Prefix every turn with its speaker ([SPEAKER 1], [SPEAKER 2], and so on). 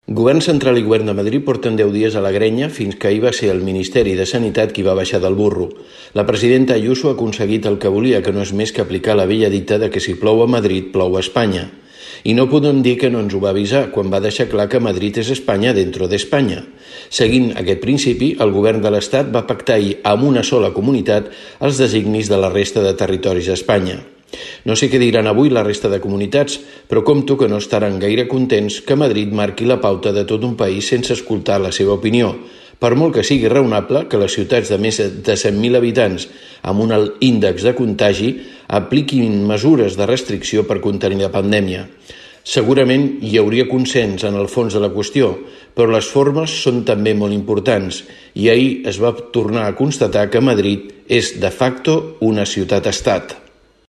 [SPEAKER 1] Govern central i govern de Madrid porten 10 dies a la grenya fins que ahir va ser el Ministeri de Sanitat qui va baixar del burro. La presidenta Ayuso ha aconseguit el que volia, que no és més que aplicar la vella dita de que si plou a Madrid, plou a Espanya. I no podem dir que no ens ho va avisar quan va deixar clar que Madrid és Espanya dentro d'Espanya. Seguint aquest principi, el govern de l'Estat va pactar ahir amb una sola comunitat els designis de la resta de territoris d'Espanya. No sé què diran avui la resta de comunitats, però compto que no estaran gaire contents que Madrid marqui la pauta de tot un país sense escoltar la seva opinió, per molt que sigui raonable que les ciutats de més de 100.000 habitants amb un alt índex de contagi apliquin mesures de restricció per contenir la pandèmia. Segurament hi hauria consens en el fons de la qüestió, però les formes són també molt importants i ahir es va tornar a constatar que Madrid és de facto una ciutat-estat.